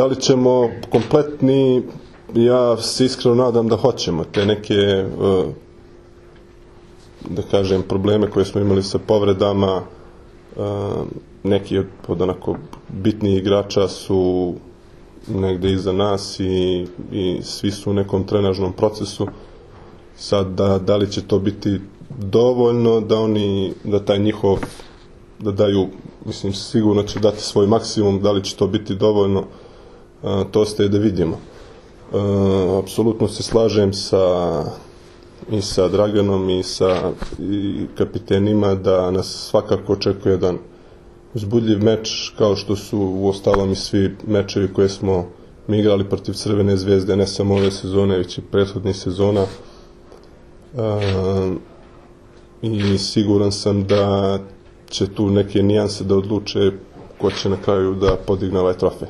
Da li ćemo kompletni, ja se iskreno nadam da hoćemo. Te neke, da kažem, probleme koje smo imali sa povredama, neki od onako bitnijih igrača su negde iza nas i svi su u nekom trenažnom procesu. Sad, da li će to biti dovoljno da taj njihov, da daju, mislim, sigurno će dati svoj maksimum, da li će to biti dovoljno, to ostaje da vidimo. Apsolutno se slažem i sa Draganom i sa kapitenima da nas svakako očekuje jedan uzbudljiv meč, kao što su uostalom i svi mečevi koje smo mi igrali protiv Crvene zvezde, ne samo ove sezone, već i prethodnih sezona. I siguran sam da će tu neke nijanse da odluče ko će na kraju da podigne ovaj trofej.